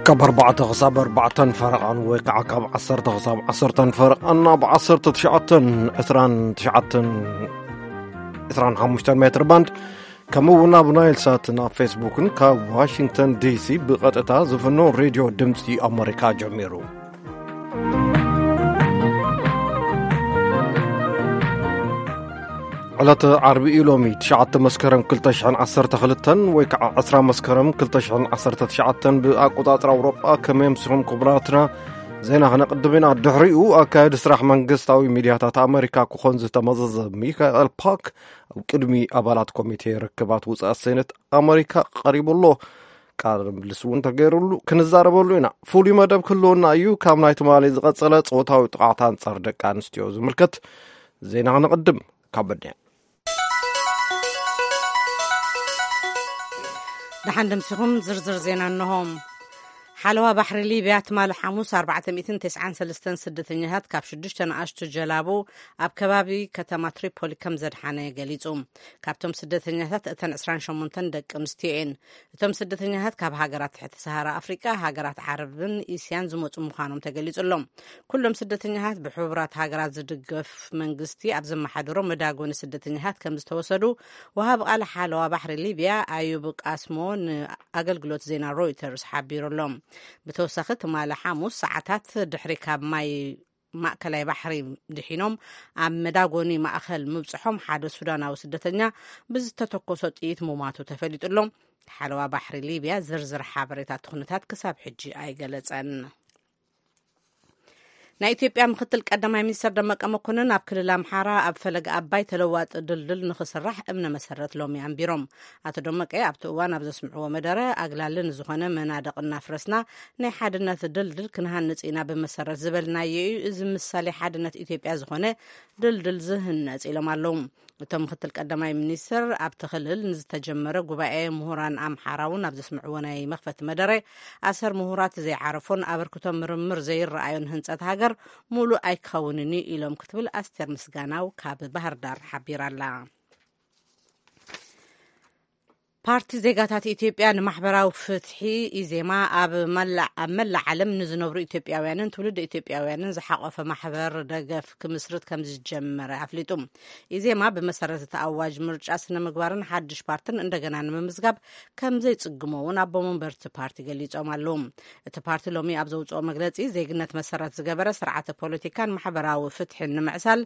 ካብ ኣርባዕተ ክሳብ ኣርባዕተን ፈረቓን ወይ ከዓ ካብ ዓሰርተ ክሳብ ዓሰርተን ፈረቓን ኣብ ዓሰርተ ትሽዓተን ዕስራን ትሽዓተን ዕስራን ሓሙሽተን ሜትር ባንድ፣ ከምኡ እውን ኣብ ናይል ሳትን ኣብ ፌስቡክን ካብ ዋሽንግተን ዲሲ ብቐጥታ ዝፍኖ ሬድዮ ድምፂ ኣመሪካ ጀሚሩ። ዕለተ ዓርቢ እዩ ሎሚ፣ ትሽዓተ መስከረም ክልተ ሽሕን ዓሰርተ ክልተን ወይ ከዓ ዕስራ መስከረም ክልተ ሽሕን ዓሰርተ ትሽዓተን ብኣቆጻጽራ ኣውሮጳ። ከመይ ኣምሲኹም ክቡራትና? ዜና ክነቕድም ኢና። ድሕሪኡ ኣካየዲ ስራሕ መንግስታዊ ሚድያታት ኣመሪካ ክኾን ዝተመዘዘ ሚካኤል ፓክ ኣብ ቅድሚ ኣባላት ኮሚቴ ርክባት ውፅኣት ሴኔት ኣመሪካ ቀሪቡ ኣሎ። ቃለ ምልልስ እውን ተገይሩሉ ክንዛረበሉ ኢና። ፍሉይ መደብ ክህልወና እዩ። ካብ ናይ ትማሊ ዝቐጸለ ጾታዊ ጥቓት ኣንጻር ደቂ ኣንስትዮ ዝምልከት ዜና ክነቕድም። ካብ በድያ። ደሓን ደምሲኹም ዝርዝር ዜና እንሆ። ሓለዋ ባሕሪ ሊብያ ትማሊ ሓሙስ ኣርባዕተ ሚእትን ተስዓን ሰለስተን ስደተኛታት ካብ ሽዱሽተ ንኣሽቱ ጀላቡ ኣብ ከባቢ ከተማ ትሪፖሊ ከም ዘድሓነ ገሊጹ። ካብቶም ስደተኛታት እተን ዕስራን ሸሞንተን ደቂ ኣንስትዮ እየን። እቶም ስደተኛታት ካብ ሃገራት ትሕቲ ሰሃራ ኣፍሪቃ፣ ሃገራት ዓረብን እስያን ዝመጹ ምዃኖም ተገሊጹ ኣሎ። ኩሎም ስደተኛታት ብሕቡራት ሃገራት ዝድገፍ መንግስቲ ኣብ ዘመሓደሮ መዳጎኒ ስደተኛታት ከም ዝተወሰዱ ወሃቢ ቃል ሓለዋ ባሕሪ ሊብያ ኣዩብ ቃስሞ ንኣገልግሎት ዜና ሮይተርስ ሓቢሩ ኣሎ። ብተወሳኺ ትማሊ ሓሙስ ሰዓታት ድሕሪ ካብ ማይ ማእከላይ ባሕሪ ድሒኖም ኣብ መዳጎኒ ማእከል ምብጽሖም ሓደ ሱዳናዊ ስደተኛ ብዝተተኮሶ ጥይት ምሟቱ ተፈሊጡ ኣሎ። ሓለዋ ባሕሪ ሊብያ ዝርዝር ሓበሬታ እቲ ኩነታት ክሳብ ሕጂ ኣይገለጸን። ናይ ኢትዮጵያ ምክትል ቀዳማይ ሚኒስትር ደመቀ መኮንን ኣብ ክልል ኣምሓራ ኣብ ፈለገ ኣባይ ተለዋጢ ድልድል ንክስራሕ እምነ መሰረት ሎሚ ኣንቢሮም። ኣቶ ደመቀ ኣብቲ እዋን ኣብ ዘስምዕዎ መደረ፣ ኣግላሊ ንዝኾነ መናድቕ እናፍረስና ናይ ሓድነት ድልድል ክንሃንጽ ኢና ብመሰረት ዝበልናዮ እዩ እዚ ምሳሌ ሓድነት ኢትዮጵያ ዝኾነ ድልድል ዝህነጽ ኢሎም ኣለዉ። እቶም ምክትል ቀዳማይ ሚኒስትር ኣብቲ ክልል ንዝተጀመረ ጉባኤ ምሁራን ኣምሓራ እውን ኣብ ዘስምዕዎ ናይ መኽፈቲ መደረ፣ ኣሰር ምሁራት ዘይዓረፎን ኣበርክቶ ምርምር ዘይረኣዮን ህንጸት ሃገር ሙሉእ ኣይክኸውንን እዩ ኢሎም ክትብል ኣስቴር ምስጋናው ካብ ባህር ዳር ሓቢራ ኣላ። ፓርቲ ዜጋታት ኢትዮጵያ ንማሕበራዊ ፍትሒ፣ ኢዜማ፣ ኣብ መላእ፣ ኣብ መላእ ዓለም ንዝነብሩ ኢትዮጵያውያንን ትውልድ ኢትዮጵያውያንን ዝሓቆፈ ማሕበር ደገፍ ክምስርት ከም ዝጀመረ ኣፍሊጡ። ኢዜማ ብመሰረት እቲ ኣዋጅ ምርጫ ስነ ምግባርን ሓድሽ ፓርትን እንደገና ንምምዝጋብ ከም ዘይጽግሞ እውን ኣቦ መንበርቲ ፓርቲ ገሊጾም ኣለዉ። እቲ ፓርቲ ሎሚ ኣብ ዘውጽኦ መግለጺ፣ ዜግነት መሰረት ዝገበረ ስርዓተ ፖለቲካን ማሕበራዊ ፍትሕን ንምዕሳል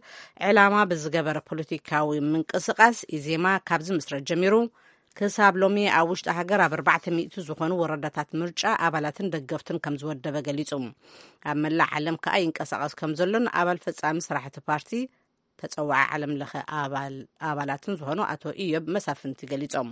ዕላማ ብዝገበረ ፖለቲካዊ ምንቅስቃስ ኢዜማ ካብ ዝምስረት ጀሚሩ ክሳብ ሎሚ ኣብ ውሽጢ ሃገር ኣብ ኣርባዕተ ሚእቲ ዝኾኑ ወረዳታት ምርጫ ኣባላትን ደገፍትን ከም ዝወደበ ገሊጹ። ኣብ መላእ ዓለም ከኣ ይንቀሳቐስ ከም ዘሎን ኣባል ፈጻሚ ስራሕቲ ፓርቲ ተጸዋዒ ዓለም ለኸ ኣባል-፣ ኣባላትን ዝኾኑ ኣቶ ኢዮብ መሳፍንቲ ገሊጾም።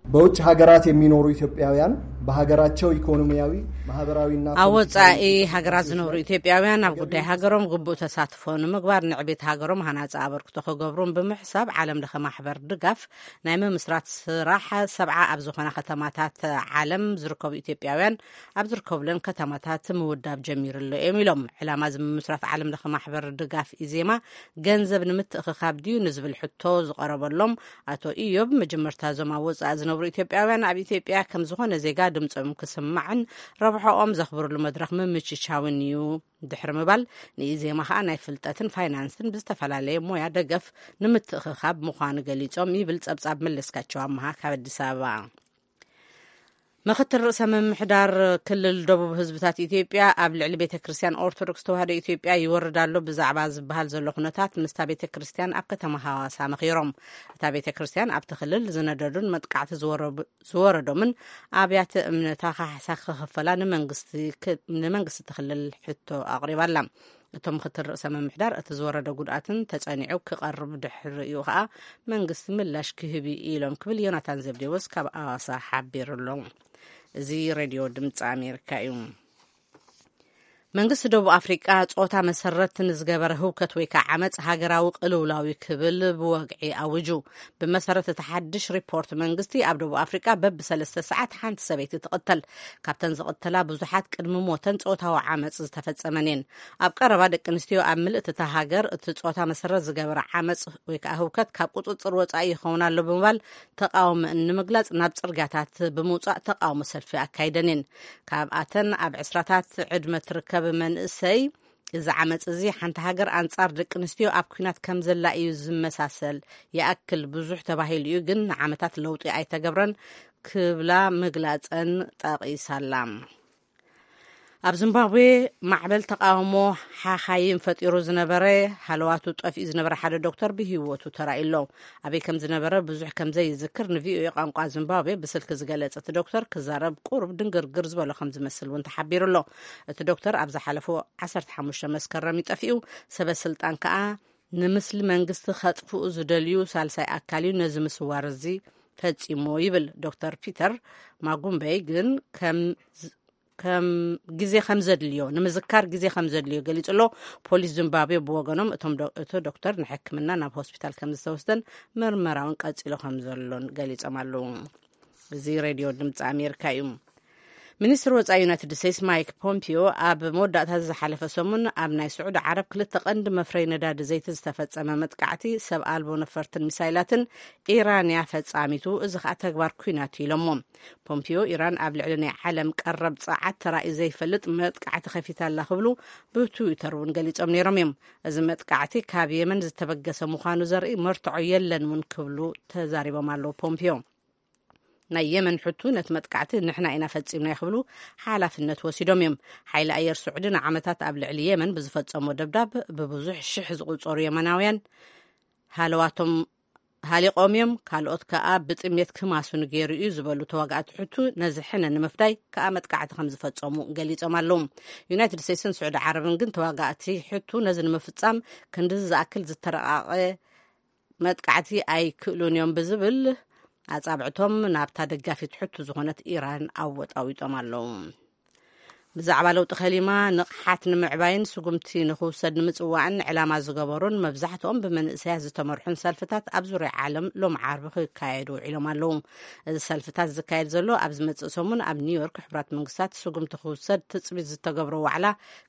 በውጭ ሀገራት የሚኖሩ ኢትዮጵያውያን በሀገራቸው ኢኮኖሚያዊ፣ ማህበራዊና ኣብ ፖለቲካዊ ወጻኢ ሃገራት ዝነብሩ ኢትዮጵያውያን ኣብ ጉዳይ ሃገሮም ግቡእ ተሳትፎ ንምግባር ንዕቤት ሃገሮም ሃናጺ ኣበርክቶ ክገብሩን ብምሕሳብ ዓለም ለኸ ማሕበር ድጋፍ ናይ ምምስራት ስራሕ ሰብዓ ኣብ ዝኾና ከተማታት ዓለም ዝርከቡ ኢትዮጵያውያን ኣብ ዝርከብለን ከተማታት ምውዳብ ጀሚሩ ኣሎ እዮም ኢሎም። ዕላማ እዚ ምምስራት ዓለም ለኸ ማሕበር ድጋፍ ኢዜማ ገንዘብ ንምትእኽኻብ ድዩ ንዝብል ሕቶ ዝቐረበሎም ኣቶ ኢዮብ፣ መጀመርታ እዞም ኣብ ወጻኢ ዝነብሩ ኢትዮጵያውያን ኣብ ኢትዮጵያ ከም ዝኾነ ዜጋ ድምጾም ክስማዕን ረብሖኦም ዘኽብርሉ መድረኽ ምምችቻውን እዩ ድሕሪ ምባል፣ ንኢዜማ ኸኣ ናይ ፍልጠትን ፋይናንስን ብዝተፈላለየ ሞያ ደገፍ ንምትእኽኻብ ምዃኑ ገሊጾም ይብል ጸብጻብ መለስካቸው ኣመሃ ካብ ኣዲስ ኣበባ። ምክትል ርእሰ ምምሕዳር ክልል ደቡብ ህዝብታት ኢትዮጵያ ኣብ ልዕሊ ቤተ ክርስቲያን ኦርቶዶክስ ተዋህዶ ኢትዮጵያ ይወርድ ኣሎ ብዛዕባ ዝበሃል ዘሎ ኩነታት ምስታ ቤተ ክርስቲያን ኣብ ከተማ ሃዋሳ መኺሮም። እታ ቤተ ክርስቲያን ኣብቲ ክልል ዝነደዱን መጥቃዕቲ ዝወረቡ-፣ ዝወረዶምን ኣብያተ እምነታ ካሕሳ ክኽፈላ ንመንግስቲ ክ-፣ ንመንግስቲ እቲ ክልል ሕቶ ኣቕሪባ ኣላ። እቶም ምክትል ርእሰ ምምሕዳር፣ እቲ ዝወረደ ጉድኣትን ተጸኒዑ ክቐርብ ድሕሪኡ ከኣ መንግስቲ ምላሽ ክህብ እዩ ኢሎም ክብል ዮናታን ዘብዴዎስ ካብ ኣዋሳ ሓቢሩ ኣሎ። እዚ ሬድዮ ድምፂ ኣሜሪካ እዩ። መንግስቲ ደቡብ ኣፍሪቃ ጾታ መሰረት ንዝገበረ ህውከት ወይ ከዓ ዓመፅ ሃገራዊ ቅልውላዊ ክብል ብወግዒ ኣውጁ። ብመሰረት እቲ ሓድሽ ሪፖርት መንግስቲ፣ ኣብ ደቡብ ኣፍሪቃ በብሰለስተ ሰዓት ሓንቲ ሰበይቲ ትቕተል። ካብተን ዝቕተላ ብዙሓት ቅድሚ ሞተን ጾታዊ ዓመፅ ዝተፈጸመን እየን። ኣብ ቀረባ ደቂ ኣንስትዮ ኣብ ምልእቲ እታ ሃገር እቲ ጾታ መሰረት ዝገበረ ዓመፅ ወይ ከዓ ህውከት ካብ ቁፅፅር ወፃኢ ይኸውን ኣሎ ብምባል ተቃውሞአን ንምግላፅ ናብ ፅርጋታት ብምውፃእ ተቃውሞ ሰልፊ ኣካይደን እየን። ካብኣተን ኣብ ዕስራታት ዕድመ ትርከብ መንእሰይ፣ እዚ ዓመፅ እዚ ሓንቲ ሃገር ኣንጻር ደቂ ኣንስትዮ ኣብ ኲናት ከም ዘላ እዩ ዝመሳሰል። ይኣክል ብዙሕ ተባሂሉ እዩ፣ ግን ንዓመታት ለውጢ ኣይተገብረን ክብላ ምግላፀን ጠቒሳላ። ኣብ ዚምባብዌ ማዕበል ተቃውሞ ሓኻይም ፈጢሩ ዝነበረ፣ ሃለዋቱ ጠፊኡ ዝነበረ ሓደ ዶክተር ብህይወቱ ተራእዩ ኣሎ። ኣበይ ከም ዝነበረ ብዙሕ ከም ዘይዝክር ንቪኦኤ ቋንቋ ዚምባብዌ ብስልኪ ዝገለጸ እቲ ዶክተር፣ ክዛረብ ቁሩብ ድንግርግር ዝበሎ ከም ዝመስል እውን ተሓቢሩ ኣሎ። እቲ ዶክተር ኣብ ዝሓለፉ ዓሰርተ ሓሙሽተ መስከረም እዩ ጠፊኡ። ሰበ ስልጣን ከኣ ንምስሊ መንግስቲ ከጥፍኡ ዝደልዩ ሳልሳይ ኣካል እዩ ነዚ ምስዋር እዚ ፈጺሞ ይብል። ዶክተር ፒተር ማጉምበይ ግን ከም ከም ግዜ ከም ዘድልዮ፣ ንምዝካር ግዜ ከም ዘድልዮ ገሊጹ ኣሎ። ፖሊስ ዚምባብዌ ብወገኖም፣ እቶም ዶ-፣ እቲ ዶክተር ንሕክምና ናብ ሆስፒታል ከም ዝተወስደን ምርመራውን ቀጺሉ ከም ዘሎን ገሊጾም ኣለዉ። እዚ ሬድዮ ድምፂ ኣሜሪካ እዩ። ሚኒስትሪ ወፃኢ ዩናይትድ ስቴትስ ማይክ ፖምፒዮ ኣብ መወዳእታ ዝሓለፈ ሰሙን ኣብ ናይ ስዑዲ ዓረብ ክልተ ቀንዲ መፍረይ ነዳዲ ዘይቲ ዝተፈጸመ መጥቃዕቲ ሰብ ኣልቦ ነፈርትን ሚሳይላትን ኢራን እያ ፈጻሚቱ፣ እዚ ኸኣ ተግባር ኲናት እዩ ኢሎሞ። ፖምፒዮ፣ ኢራን ኣብ ልዕሊ ናይ ዓለም ቀረብ ጸዓት ተራእዩ ዘይፈልጥ መጥቃዕቲ ከፊታ ኣላ ክብሉ ብትዊተር እውን ገሊጾም ነይሮም እዮም። እዚ መጥቃዕቲ ካብ የመን ዝተበገሰ ምዃኑ ዘርኢ መርትዖ የለን እውን ክብሉ ተዛሪቦም ኣለዉ ፖምፒዮ። ናይ የመን ሕቱ ነቲ መጥቃዕቲ ንሕና ኢና ፈጺምና ክብሉ ሓላፍነት ወሲዶም እዮም። ሓይሊ ኣየር ስዑዲ ንዓመታት ኣብ ልዕሊ የመን ብዝፈጸሞ ደብዳብ ብብዙሕ ሽሕ ዝቑጸሩ የመናውያን ሃለዋቶም ሃሊቖም እዮም፣ ካልኦት ከኣ ብጥሜት ክማሱን ገይሩ እዩ ዝበሉ ተዋጋእቲ ሕቱ፣ ነዚ ሕነ ንምፍዳይ ከኣ መጥቃዕቲ ከም ዝፈጸሙ ገሊጾም ኣለዉ። ዩናይትድ ስቴትስን ስዑዲ ዓረብን ግን ተዋጋእቲ ሕቱ ነዚ ንምፍጻም ክንድዚ ዝኣክል ዝተረቓቐ መጥቃዕቲ ኣይክእሉን እዮም ብዝብል ኣጻብዕቶም ናብታ ደጋፊት ሕቱ ዝኾነት ኢራን ኣወጣዊጦም ኣለዉ። ብዛዕባ ለውጢ ከሊማ ንቕሓት ንምዕባይን ስጉምቲ ንኽውሰድ ንምጽዋዕን ዕላማ ዝገበሩን መብዛሕትኦም ብመንእሰያት ዝተመርሑን ሰልፍታት ኣብ ዙርያ ዓለም ሎም ዓርቢ ክካየዱ ውዒሎም ኣለዉ። እዚ ሰልፍታት ዝካየድ ዘሎ ኣብ ዝመጽእ ሰሙን ኣብ ኒውዮርክ ሕቡራት መንግስታት ስጉምቲ ክውሰድ ትጽቢት ዝተገብሮ ዋዕላ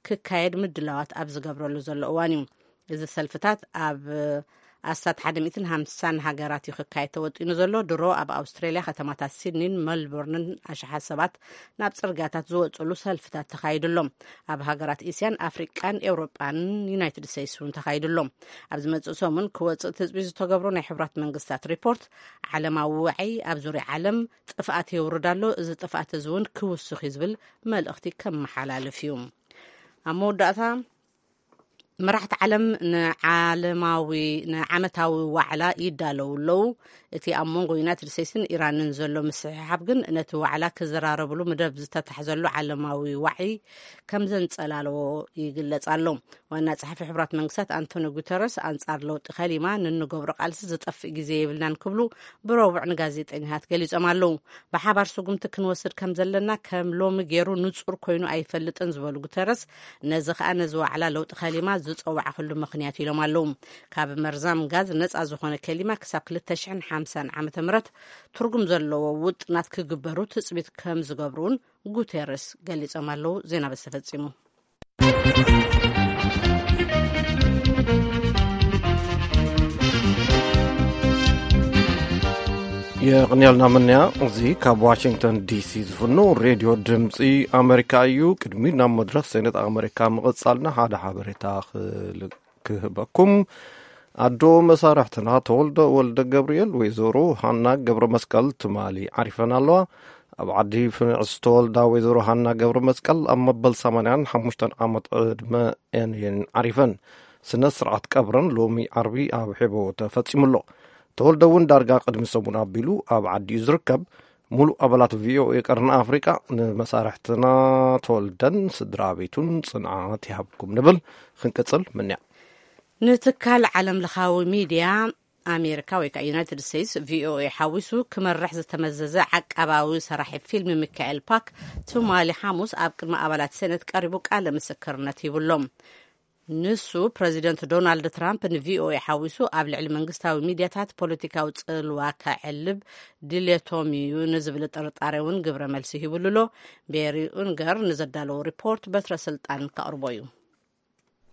ክካየድ ምድላዋት ኣብ ዝገብረሉ ዘሎ እዋን እዩ። እዚ ሰልፍታት ኣብ ኣስታት ሓደ ሚእትን ሓምሳን ሃገራት እዩ ክካየድ ተወጢኑ ዘሎ። ድሮ ኣብ ኣውስትራልያ ከተማታት ሲድኒን መልቦርንን ኣሽሓት ሰባት ናብ ጽርግያታት ዝወጽሉ ሰልፍታት ተኻይዱ ኣሎ። ኣብ ሃገራት እስያን ኣፍሪቃን ኤውሮጳን ዩናይትድ ስቴትስ እውን ተኻይዱ ኣሎ። ኣብ ዝመጽእ ሰሙን ክወጽእ ትጽቢት ዝተገብሮ ናይ ሕቡራት መንግስታት ሪፖርት፣ ዓለማዊ ዋዒ ኣብ ዙርያ ዓለም ጥፍኣት የውርድ ኣሎ፣ እዚ ጥፍኣት እዚ እውን ክውስኽ እዩ ዝብል መልእኽቲ ከመሓላልፍ እዩ። ኣብ መወዳእታ፣ መራሕቲ ዓለም ንዓለማዊ ንዓመታዊ ዋዕላ ይዳለዉ ኣለዉ። እቲ ኣብ መንጎ ዩናይትድ ስቴትስን ኢራንን ዘሎ ምስሕሓብ ግን ነቲ ዋዕላ ክዘራረብሉ መደብ ዝተታሕዘሉ ዓለማዊ ዋዒ ከም ዘንጸላለዎ ይግለጽ ኣሎ። ዋና ጸሓፊ ሕቡራት መንግስታት ኣንቶኒ ጉተረስ፣ ኣንጻር ለውጢ ከሊማ ንንገብሮ ቃልሲ ዝጠፍእ ግዜ የብልናን ክብሉ ብረቡዕ ንጋዜጠኛታት ገሊጾም ኣለዉ። ብሓባር ስጉምቲ ክንወስድ ከም ዘለና ከም ሎሚ ገይሩ ንጹር ኮይኑ ኣይፈልጥን ዝበሉ ጉተረስ፣ ነዚ ኸኣ ነዚ ዋዕላ ለውጢ ከሊማ ዝጸዋዕክሉ ምኽንያት ኢሎም ኣለዉ። ካብ መርዛም ጋዝ ነጻ ዝኾነ ከሊማ ክሳብ ክልተ ሽሕን ሓምሳን ዓመተ ምህረት ትርጉም ዘለዎ ውጥናት ክግበሩ ትጽቢት ከም ዝገብሩ እውን ጉቴረስ ገሊጾም ኣለዉ። ዜና በዚ ተፈጺሙ። የቕንየልና ምንያ። እዚ ካብ ዋሽንግተን ዲሲ ዝፍኖ ሬድዮ ድምፂ ኣሜሪካ እዩ። ቅድሚ ናብ መድረኽ ሴኔት ኣሜሪካ ምቕጻልና ሓደ ሓበሬታ ክል-፣ ክህበኩም። ኣዶ መሳርሕትና ተወልደ ወልደ ገብርኤል ወይዘሮ ሃና ገብረ መስቀል ትማሊ ዓሪፈን ኣለዋ። ኣብ ዓዲ ፍንዕ ዝተወልዳ ወይዘሮ ሃና ገብረ መስቀል ኣብ መበል ሰማንያን ሓሙሽተን ዓመት ዕድመ እየን ዓሪፈን። ስነ ስርዓት ቀብረን ሎሚ ዓርቢ ኣብ ሔቦ ተፈጺሙ ኣሎ። ተወልደ እውን ዳርጋ ቅድሚ ሰሙን ኣቢሉ ኣብ ዓዲኡ ዝርከብ። ሙሉእ ኣባላት ቪኦኤ ቀርኒ ኣፍሪቃ ንመሳርሕትና ተወልደን ስድራ ቤቱን ጽንዓት ይሃብኩም ንብል። ክንቅጽል ምንያ። ንትካል ዓለም ለኻዊ ሚድያ ኣሜሪካ ወይ ከዓ ዩናይትድ ስቴትስ፣ ቪኦኤ ሓዊሱ ክመርሕ ዝተመዘዘ ዓቃባዊ ሰራሒ ፊልም ሚካኤል ፓክ ትማሊ ሓሙስ ኣብ ቅድሚ ኣባላት ሴኔት ቀሪቡ ቃለ ምስክርነት ሂቡሎም። ንሱ ፕረዚደንት ዶናልድ ትራምፕ ንቪኦኤ ሓዊሱ ኣብ ልዕሊ መንግስታዊ ሚድያታት ፖለቲካዊ ጽልዋ ከዕልብ ድሌቶም እዩ ንዝብል ጥርጣሬ እውን ግብረ መልሲ ሂቡሉ ኣሎ። ቤሪ ኡንገር ንዘዳለዎ ሪፖርት በትረ ስልጣን ከቕርቦ እዩ።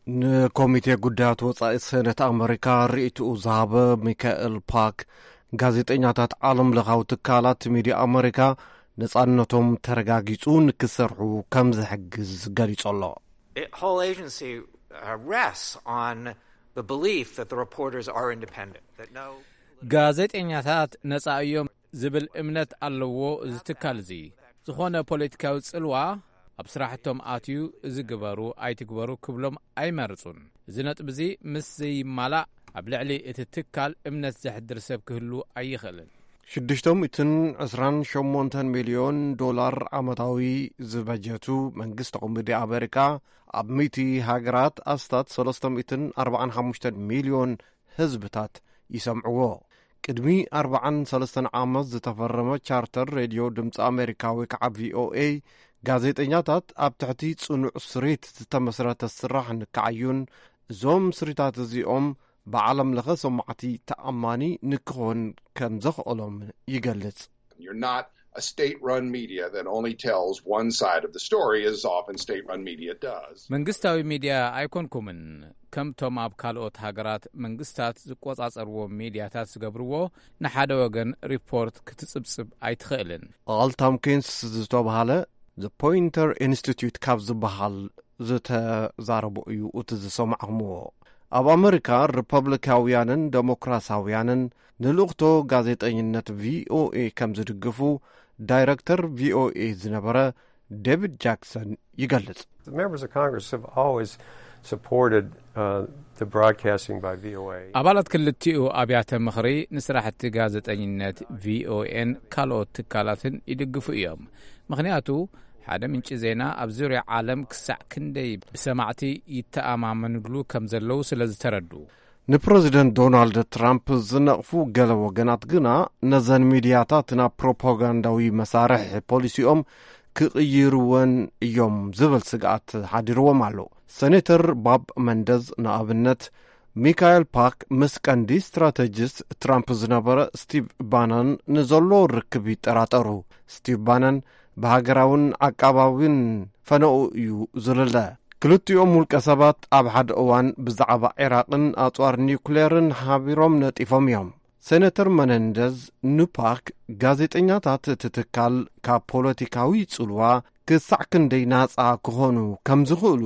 ንኮሚቴ ጉዳያት ወጻኢ ሴኔት ኣመሪካ ርእይትኡ ዝሃበ ሚካኤል ፓክ፣ ጋዜጠኛታት ዓለም ለኻዊ ትካላት ሚድያ ኣመሪካ ነጻነቶም ተረጋጊጹ ንክሰርሑ ከም ዝሕግዝ ገሊጹ ኣሎ። It, whole agency uh, rests on the belief that the reporters are independent, that no ጋዜጠኛታት ነጻ እዮም ዝብል እምነት ኣለዎ። እዚ ትካል እዚ ዝኾነ ፖለቲካዊ ጽልዋ ኣብ ስራሕቶም ኣትዩ እዚ ግበሩ ኣይትግበሩ ክብሎም ኣይመርጹን። እዚ ነጥቢ እዚ ምስ ዘይማላእ ኣብ ልዕሊ እቲ ትካል እምነት ዘሕድር ሰብ ክህሉ ኣይኽእልን። ሽዱሽተ ሚእትን ዕስራን ሸሞንተን ሚልዮን ዶላር ዓመታዊ ዝበጀቱ መንግስቲ ኮሚዲ ኣሜሪካ፣ ኣብ ሚእቲ ሃገራት ኣስታት ሰለስተ ሚእትን ኣርባዓን ሓሙሽተን ሚልዮን ህዝብታት ይሰምዕዎ። ቅድሚ ኣርባዓን ሰለስተን ዓመት ዝተፈረመ ቻርተር ሬድዮ ድምፂ ኣሜሪካ ወይ ከዓ ቪኦኤ፣ ጋዜጠኛታት ኣብ ትሕቲ ፅኑዕ ስሪት ዝተመስረተ ስራሕ ንክዓዩን፣ እዞም ስሪታት እዚኦም ብዓለም ለኸ ሰማዕቲ ተኣማኒ ንክኾን ከም ዘኽእሎም ይገልጽ። You're not a state run media that only tells one side of the story, as often state run media does. መንግስታዊ ሚድያ ኣይኮንኩምን። ከምቶም ኣብ ካልኦት ሃገራት መንግስታት ዝቆጻጸርዎ ሚድያታት ዝገብርዎ፣ ንሓደ ወገን ሪፖርት ክትጽብጽብ ኣይትኽእልን። ኣል ታምኪንስ ዝተባሃለ The Poynter Institute ካብ ዝበሃል ዝተዛረቦ እዩ እቲ ዝሰማዕኹምዎ። ኣብ ኣመሪካ ሪፐብሊካውያንን ደሞክራሳውያንን ንልእኽቶ ጋዜጠኝነት ቪኦኤ ከም ዝድግፉ ዳይረክተር ቪኦኤ ዝነበረ ዴቪድ ጃክሰን ይገልጽ። The members of Congress have always supported uh, the broadcasting by V O A. ኣባላት ክልቲኡ ኣብያተ ምኽሪ ንስራሕቲ ጋዜጠኝነት ቪኦኤን ካልኦት ትካላትን ይድግፉ እዮም። ምኽንያቱ ሓደ ምንጪ ዜና ኣብ ዙርያ ዓለም ክሳዕ ክንደይ ብሰማዕቲ ይተኣማመንሉ ከም ዘለዉ ስለ ዝተረዱ። ንፕረዚደንት ዶናልድ ትራምፕ ዝነቕፉ ገለ ወገናት ግና፣ ነዘን ሚድያታት ናብ ፕሮፓጋንዳዊ መሳርሒ ፖሊሲኦም ክቕይርወን እዮም ዝብል ስግኣት ሓዲርዎም ኣሎ። ሰኔተር ባብ መንደዝ ንኣብነት፣ ሚካኤል ፓክ ምስ ቀንዲ ስትራተጂስት ትራምፕ ዝነበረ ስቲቭ ባነን ንዘሎ ርክብ ይጠራጠሩ። ስቲቭ ባነን ብሃገራውን ዓቃባዊን ፈነኡ እዩ ዝልለ። ክልቲኦም ውልቀ ሰባት ኣብ ሓደ እዋን ብዛዕባ ዒራቕን ኣጽዋር ኒውክሌርን ሓቢሮም ነጢፎም እዮም። ሴነተር መነንደዝ ንፓክ፣ ጋዜጠኛታት እቲ ትካል ካብ ፖለቲካዊ ጽልዋ ክሳዕ ክንደይ ናጻ ክኾኑ ከም ዝኽእሉ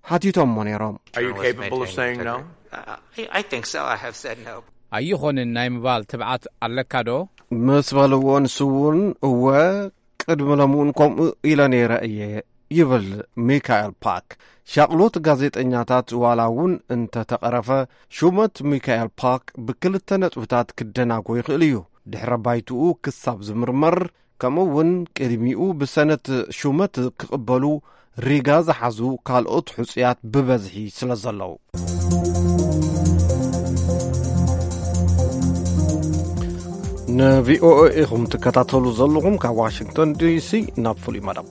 ሓቲቶሞ ነይሮም። Are you capable of saying no? Uh, I, I think so. I have said no. ኣይኾንን ናይ ምባል ትብዓት ኣለካ ዶ? ምስ በልዎ፣ ንሱ እውን እወ ቅድሚ ሎሚ እውን ከምኡ ኢለ ነይረ እየ ይብል ሚካኤል ፓክ። ሻቕሎት ጋዜጠኛታት ዋላ እውን እንተተቐረፈ፣ ሹመት ሚካኤል ፓክ ብክልተ ነጥብታት ክደናጎ ይኽእል እዩ። ድሕረ ባይትኡ ክሳብ ዝምርመር፣ ከምኡ እውን ቅድሚኡ ብሰነት ሹመት ክቕበሉ ሪጋ ዝሓዙ ካልኦት ሕጹያት ብበዝሒ ስለ ዘለዉ። ንቪኦኤ ኢኹም ትከታተሉ ዘለኹም። ካብ ዋሽንግተን ዲሲ ናብ ፍሉይ መደብ።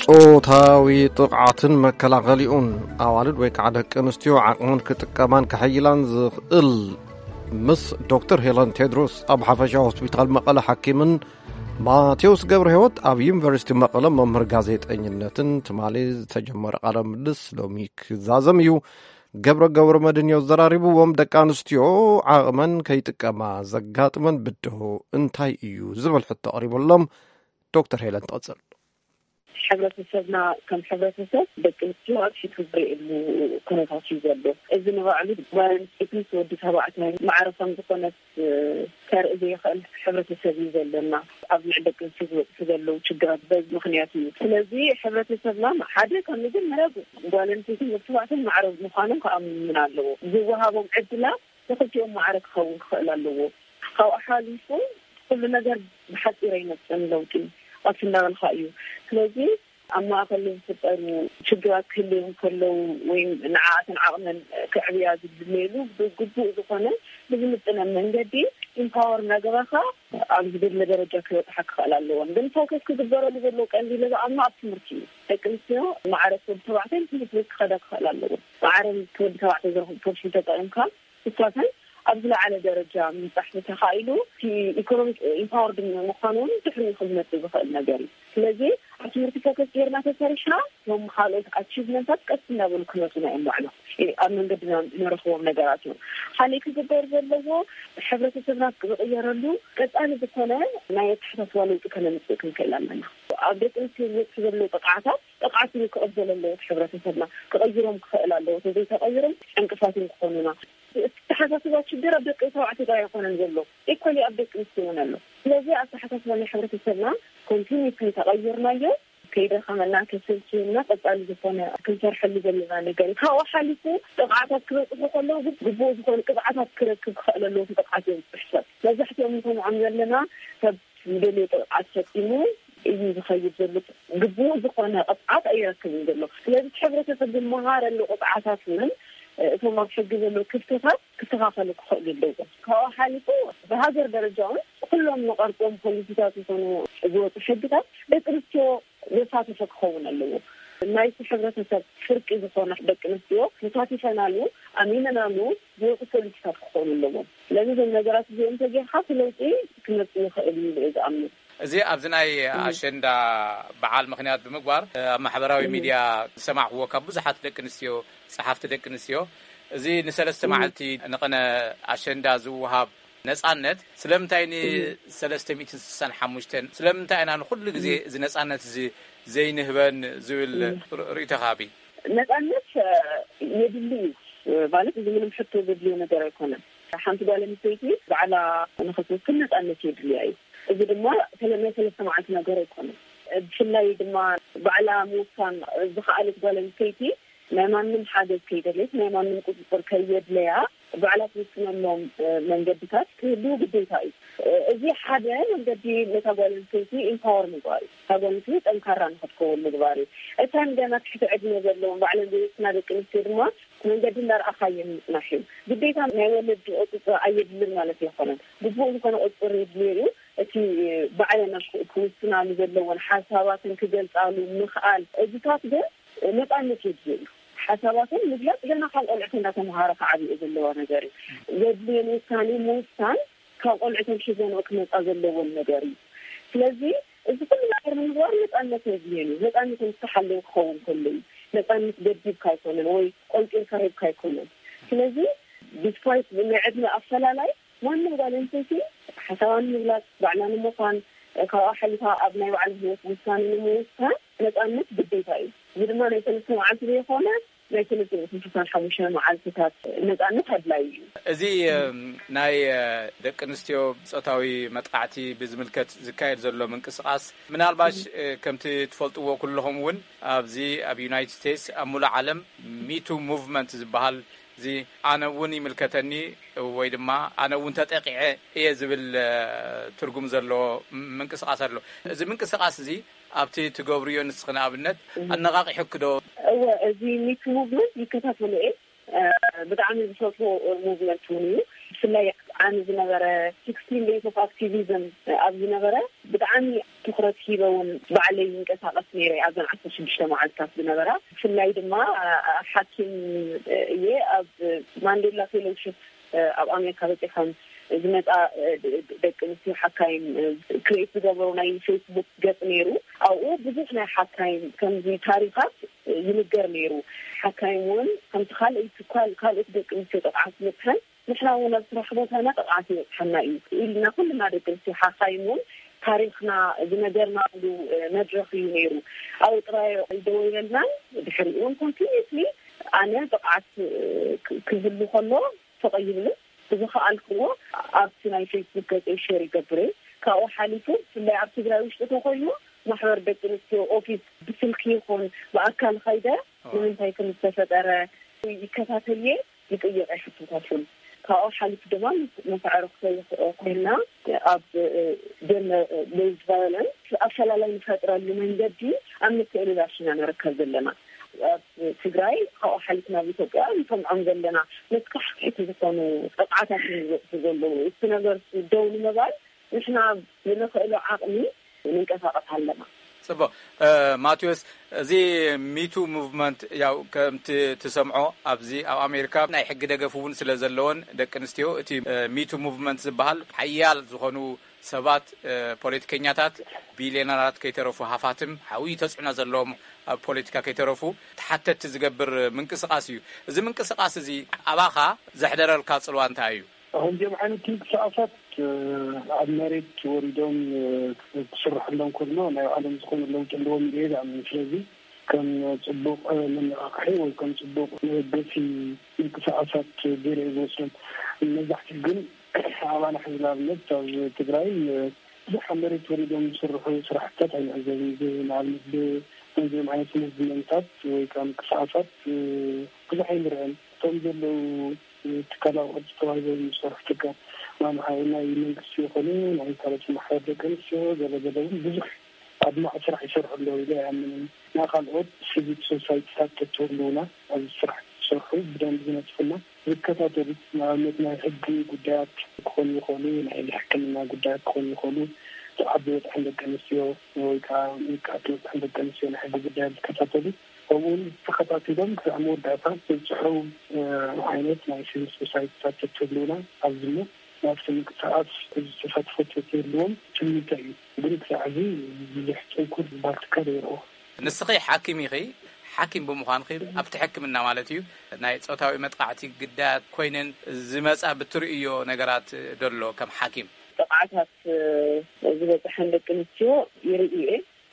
ጾታዊ ጥቕዓትን መከላኸሊኡን፣ ኣዋልድ ወይ ከዓ ደቂ ኣንስትዮ ዓቕመን ክጥቀማን ከሐይላን ዝኽእል፣ ምስ ዶክተር ሄለን ቴድሮስ ኣብ ሓፈሻ ሆስፒታል መቐለ ሓኪምን ማቴዎስ ገብረ ህይወት ኣብ ዩኒቨርሲቲ መቐለ መምህር ጋዜጠኝነትን ትማሊ ዝተጀመረ ቃለ ምልልስ ሎሚ ክዛዘም እዩ። ገብረ ገብረ መድን እዩ ዘራሪብዎም። ደቂ ኣንስትዮ ዓቕመን ከይጥቀማ ዘጋጥመን ብድሆ እንታይ እዩ ዝብል ሕቶ ኣቕሪበሎም። ዶክተር ሄለን ትቐጽል። ሕብረተሰብና ከም ሕብረተሰብ ደቂ ኣንስትዮ ኣብ ፊቱ ዝርእየሉ ኩነታት እዩ ዘሎ። እዚ ንባዕሉ ጓል ኣንስተይቲ ምስ ወዲ ተባዕታይ ማዕረ ከም ዝኾነት ከርኢ ዘይኽእል ሕብረተሰብ እዩ ዘለና። ኣብ ልዕሊ ደቂ ኣንስትዮ ዝበፅሑ ዘለዉ ችግራት በዚ ምኽንያት እዩ። ስለዚ ሕብረተሰብና ሓደ ካብ መጀመርያ ጓል ኣንስተይትን ወዲ ተባዕታይን ማዕረ ምዃኖም ክኣምን ኣለዎ። ዝወሃቦም ዕድላት ንክልቲኦም ማዕረ ክኸውን ክኽእል ኣለዎ። ካብኡ ሓሊፉ ኩሉ ነገር ብሓፂር ኣይመፅእን ለውጢ፣ ቀስ እናበልካ እዩ። ስለዚ ኣብ ማእኸል ዝፍጠሩ ሽግራት ክህልዮም ከለዉ ወይ ንዓኣትን ዓቕመን ክዕብያ ዝድለየሉ ብግቡእ ዝኾነ ብዝምጥነ መንገዲ ኢምፓወር እናገበርካ ኣብ ዝደለ ደረጃ ክበፅሓ ክኽእል ኣለዎን። ግን ፎከስ ክግበረሉ ዘለዎ ቀንዲ ኢለ ዝኣምኖ ኣብ ትምህርቲ እዩ። ደቂ ኣንስትዮ ማዕረ ወዲ ተባዕታይ ትምህርቲ ቤት ክኸዳ ክኽእል ኣለዎ። ማዕረ ወዲ ተባዕታይ ዝረኽቡ ፖርሽን ተጠቒምካ እሳተን ኣብ ዝለዓለ ደረጃ ምብፃሕ ተኻኢሉ እቲ ኢኮኖሚክ ኢምፓወርድ ምዃኑ እውን ድሕሪ ክዝመፅ ዝኽእል ነገር እዩ። ስለዚ ኣብ ትምህርቲ ፎከስ ጌርና ተሰሪሕና እቶም ካልኦት ኣቺቭመንታት ቀስ እንዳበሉ ክመፁና እዮም። ባዕሎም ኣብ መንገድና ንረኽቦም ነገራት እዮም። ካልእ ክግበር ዘለዎ ሕብረተሰብና ዝቕየረሉ ቀፃሊ ዝኾነ ናይ ኣተሓሳስባ ለውጢ ከነምፅእ ክንክእል ኣለና። ኣብ ደቂ ኣንስትዮ ዝበፅሑ ዘለዉ ጥቕዓታት ጥቕዓት እዩ ክቕበል ኣለዎ። እቲ ሕብረተሰብና ክቐይሮም ክኽእል ኣለዎ። ተዘይተቐይሮም ዕንቅፋት እዮም ክኾኑና። እቲ ኣተሓሳስባ ችግር ኣብ ደቂ ተባዕትዮ ጥራይ ኣይኮነን ዘሎ፣ ኢኳሊ ኣብ ደቂ ኣንስትዮ እውን ኣሎ። ስለዚ ኣተሓሳስባ ናይ ሕብረተሰብና ኮንቲኒስሊ ተቐይርናዮ ከይደኸመና ከሰልችየና ቀፃሊ ዝኾነ ክንሰርሐሉ ዘለና ነገር እዩ። ካብኡ ሓሊፉ ጥቕዓታት ክበፅሑ ከለዉ ግን ግቡእ ዝኾነ ቅፅዓታት ክረክብ ክኽእል ኣለዎ። እቲ ጥቕዓት ዘብፅሕ ሰብ መብዛሕትኦም ንሰምዖም ዘለና ሰብ ዝደልዮ ጥቕዓት ፈፂሙ እዩ ዝኸይድ ዘሎ። ግቡእ ዝኾነ ቅፅዓት ኣይረክብን ዘሎ። ስለዚ እቲ ሕብረተሰብ ዝመሃረሉ ቅፅዓታት እውን እቶም ኣብ ሕጊ ዘለዉ ክፍተታት ክስተኻኸሉ ክኽእሉ ኣለዎም። ካብኡ ሓሊፉ ብሃገር ደረጃ እውን ኩሎም ንቐርፆም ፖሊሲታት ይኾኑ ዝወፁ ሕግታት ደቂ ኣንስትዮ ዘሳተፈ ክኸውን ኣለዎ። ናይቲ ሕብረተሰብ ፍርቂ ዝኾነ ደቂ ኣንስትዮ ተሳቲፈናሉ ኣሚነናሉ ዝወፁ ፖሊሲታት ክኾኑ ኣለዎም። ስለዚ እዞም ነገራት እዚኦም ተጌርካ እቲ ለውጢ ክመፅእ ይኽእል እዩ ኢለ እየ ዝኣምን። እዚ ኣብዚ ናይ ኣሸንዳ በዓል ምኽንያት ብምግባር ኣብ ማሕበራዊ ሚድያ ዝሰማዕክዎ ካብ ብዙሓት ደቂ ኣንስትዮ ጸሓፍቲ ደቂ ኣንስትዮ እዚ ንሰለስተ መዓልቲ ንቕነ ኣሸንዳ ዝወሃብ ነጻነት ስለምንታይ ንሰለስተ ሚእትን ስሳን ሓሙሽተን ስለምንታይ ኢና ንኹሉ ግዜ እዚ ነጻነት እዚ ዘይንህበን ዝብል ርእይቶኻ ሃቢ? ነጻነት የድሊ እዩ ማለት እዚ ምንም ሕቶ ዘድልዮ ነገር ኣይኮነን። ሓንቲ ጓል ኣንስተይቲ ባዕላ ንኽትውስን ነጻነት የድልያ እዩ። እዚ ድማ ናይ ሰለስተ መዓልቲ ነገር ኣይኮነን። ብፍላይ ድማ ባዕላ ምውሳን ዝኸኣለት ጓል ኣንስተይቲ ናይ ማንም ሓገዝ ከይደለየት ናይ ማንም ቁፅፅር ከየድለያ ባዕላ ትውስነሎም መንገድታት ክህልው ግዴታ እዩ። እዚ ሓደ መንገዲ ነታ ጓል ኣንስተይቲ ኢምፓወር ምግባር እዩ። እታ ጓል ኣንስተይቲ ጠንካራ ንክትከውን ምግባር እዩ። እተን ገና ትሕቲ ዕድመ ዘለዎም ባዕለን ዘይውስና ደቂ ኣንስትዮ ድማ መንገዲ እንዳረኣኻየን ምፅናሕ እዩ። ግዴታ ናይ ወለዲ ቁፅፅር ኣየድልን ማለት ኣይኮነን። ግቡእ ዝኾነ ቁፅፅር የድልዮ እዩ። እቲ ባዕለን ክውስናሉ ዘለዎን ሓሳባትን ክገልፃሉ ምኽኣል እዚታት ግን ነፃነት የድልዮ እዩ። ሓሳባትን ምግላፅ ገና ካብ ቆልዕት እንዳተምሃረ ክዓብዮ ዘለዋ ነገር እዩ። ዘድልየን ውሳኔ ምውሳን ካብ ቆልዕተን ሒዘንኦ ክመፃ ዘለዎን ነገር እዩ። ስለዚ እዚ ኩሉ ነገር ንምግባር ነፃነት የድልየን እዩ። ነፃነት ዝተሓለወ ክኸውን ከሎ እዩ። ነፃነት ገዲብካ ኣይኮነን ወይ ቆንጢርካ ሂብካ ኣይኮነን። ስለዚ ዲስፓይት ናይ ዕድመ ኣፈላላይ ማንም ጓል ኣንስተይቲ ሓሳባን ምግላፅ ባዕላ ንምዃን ካብኣ ሓሊፋ ኣብ ናይ ባዕላ ህይወት ውሳኔ ንምውሳን ነፃነት ግዴታ እዩ። እዚ ድማ ናይ ሰለስተ መዓልቲ ዘይኮነ ናይ ሰለስተ ሚእትን ስሳን ሓሙሽተ መዓልትታት ነፃነት ኣድላይ እዩ። እዚ ናይ ደቂ ኣንስትዮ ፆታዊ መጥቃዕቲ ብዝምልከት ዝካየድ ዘሎ ምንቅስቃስ ምናልባሽ ከምቲ ትፈልጥዎ ኩለኹም እውን ኣብዚ ኣብ ዩናይትድ ስቴትስ ኣብ ሙሉእ ዓለም ሚቱ ሙቭመንት ዝበሃል እዚ ኣነ እውን ይምልከተኒ ወይ ድማ ኣነ እውን ተጠቂዐ እየ ዝብል ትርጉም ዘለዎ ምንቅስቃስ ኣሎ። እዚ ምንቅስቃስ እዚ ኣብቲ ትገብርዮ ንስኺ ንኣብነት ኣነቓቂሑኪ ዶ? እወ፣ እዚ ሚቱ ሙቭመንት ይከታተሎ እየ። ብጣዕሚ ዝፈትዎ ሙቭመንት እውን እዩ። ብፍላይ ዓሚ ዝነበረ ሲክስቲን ዴይስ ኦፍ ኣክቲቪዝም ኣብ ዝነበረ ብጣዕሚ ትኩረት ሂበ እውን ባዕለይ ይንቀሳቀስ ነይረ ኣብዘን ዓሰርተ ሽዱሽተ መዓልታት ዝነበራ። ብፍላይ ድማ ሓኪም እየ። ኣብ ማንዴላ ፌሎውሽፕ ኣብ ኣሜሪካ በፂሖም ዝመፃ ደቂ ኣንስትዮ ሓካይም ክሬት ዝገበሩ ናይ ፌስቡክ ገፅ ነይሩ። ኣብኡ ብዙሕ ናይ ሓካይም ከምዚ ታሪኻት ይንገር ነይሩ። ሓካይም እውን ከምቲ ካልኦት ካልኦት ደቂ ኣንስትዮ ጥቕዓት ዝበፅሐን ንሕና እውን ኣብ ስራሕ ቦታና ጥቕዓት ይበፅሐና እዩ ኢልና ኩልና ደቂ ኣንስትዮ ሓካይም እውን ታሪኽና ዝነገርናሉ መድረኽ እዩ ነይሩ። ኣብኡ ጥራይ ኣይደወለልናን። ድሕሪኡ እውን ኮንቲኒስሊ ኣነ ጥቕዓት ክህሉ ከሎ ተቐይብሉ ብዝኸኣልክዎ ኣብቲ ናይ ፌስቡክ ገፀይ ሼር ይገብር እየ። ካብኡ ሓሊፉ ብፍላይ ኣብ ትግራይ ውሽጢ ተኮይኑ ማሕበር ደቂ ኣንስትዮ ኦፊስ ብስልኪ ይኹን ብኣካል ኸይደ ንምንታይ ከም ዝተፈጠረ ይከታተል እየ፣ ይጥይቕ እየ ሕቶታት እውን። ካብኡ ሓሊፉ ድማ መስዕሮ ክሰይኽ ኮይና ኣብ ደም ቤዝድ ቫዮለንስ ኣፈላላይ ንፈጥረሉ መንገዲ ኣብ ምትእልላሽ ኢና ንርከብ ዘለና። ኣብ ትግራይ ካብኡ ሓሊፍና ኣብ ኢትዮጵያ ንሰምዖም ዘለና መስካሕክሕቲ ዝኾኑ ጥቕዓታት እዮም ዝበፅሑ ዘለዉ። እቲ ነገር ደው ንምባል ንሕና ብንኽእሎ ዓቕሚ ንንቀሳቐስ ኣለና። ጽቡቕ። ማቴዎስ፣ እዚ ሚቱ ሙቭመንት ያው ከምቲ ትሰምዖ ኣብዚ ኣብ ኣሜሪካ ናይ ሕጊ ደገፍ እውን ስለ ዘለዎን ደቂ ኣንስትዮ እቲ ሚቱ ሙቭመንት ዝበሃል ሓያል ዝኾኑ ሰባት፣ ፖለቲከኛታት፣ ቢልዮነራት ከይተረፉ ሃፋትም ሓዊ ተጽዕኖ ዘለዎም ኣብ ፖለቲካ ከይተረፉ ተሓተቲ ዝገብር ምንቅስቃስ እዩ። እዚ ምንቅስቃስ እዚ ኣባኻ ዘሕደረልካ ጽልዋ እንታይ እዩ? ከምዚኦም ዓይነት ምንቅስቃሳት ኣብ መሬት ወሪዶም ክስርሐሎም ከሎ ናይ ባዕሎም ዝኾነ ለውጢ ኣለዎም ኢለ እየ ዝኣምን። ስለዚ ከም ፅቡቅ መነቃቅሒ ወይ ከም ፅቡቅ መበገሲ ምንቅስቃሳት ገይረ እየ ዝወስዶም። መብዛሕትኡ ግን ኣባና ሕዚ ንኣብነት ኣብ ትግራይ ብዙሕ ኣብ መሬት ወሪዶም ዝስርሑ ስራሕትታት ኣይንዕዘብን። ንኣብነት ብከምዚኦም ዓይነት ሙቭመንታት ወይ ከዓ ምንቅስቃሳት ብዙሕ ኣይንርአን። እቶም ዘለዉ ትካላዊ ቅርፂ ተዋሂቦም ዝሰርሑ ትካል ማምሃ ናይ መንግስቲ ይኹኑ ናይ ካልኦት ማሕበር ደቂ ኣንስትዮ ገለ ገለ እውን ብዙሕ ኣድማዒ ስራሕ ይሰርሑ ኣለዉ ኢለ ኣይኣምንን። ናይ ካልኦት ሲቪክ ሶሳይቲታት ተትህልውና ኣብዚ ስራሕ ዝሰርሑ ብደንቢ ዝነፅፉና ዝከታተሉ ንኣብነት ናይ ሕጊ ጉዳያት ክኾኑ ይኽእሉ፣ ናይ ሕክምና ጉዳያት ክኾኑ ይኽእሉ፣ ዓቢ በፅሕን ደቂ ኣንስትዮ ወይ ከዓ ንቃት በፅሕን ደቂ ኣንስትዮ ናይ ሕጊ ጉዳያት ዝከታተሉ ከምኡውን ተኸታቲሎም ክሳዕ መወዳእታ ዘብፅሑ ዓይነት ናይ ሲቪል ሶሳይቲታት ተትህልውና ኣብዚ ናብቲ ምንቅስቃስ ዝተሳትፎ ተትህልዎም ትምኒተ እዩ። ግን ክሳዕ እዚ ብዙሕ ጥንኩር ዝበሃል ትካል ይረኦ። ንስኺ ሓኪም ኢኺ። ሓኪም ብምዃንኺ ኣብቲ ሕክምና ማለት እዩ ናይ ፆታዊ መጥቃዕቲ ግዳያት ኮይነን ዝመፃ ብትርእዮ ነገራት ደሎ ከም ሓኪም? ጥቕዓታት ዝበፅሐን ደቂ ኣንስትዮ ይርኢ እየ።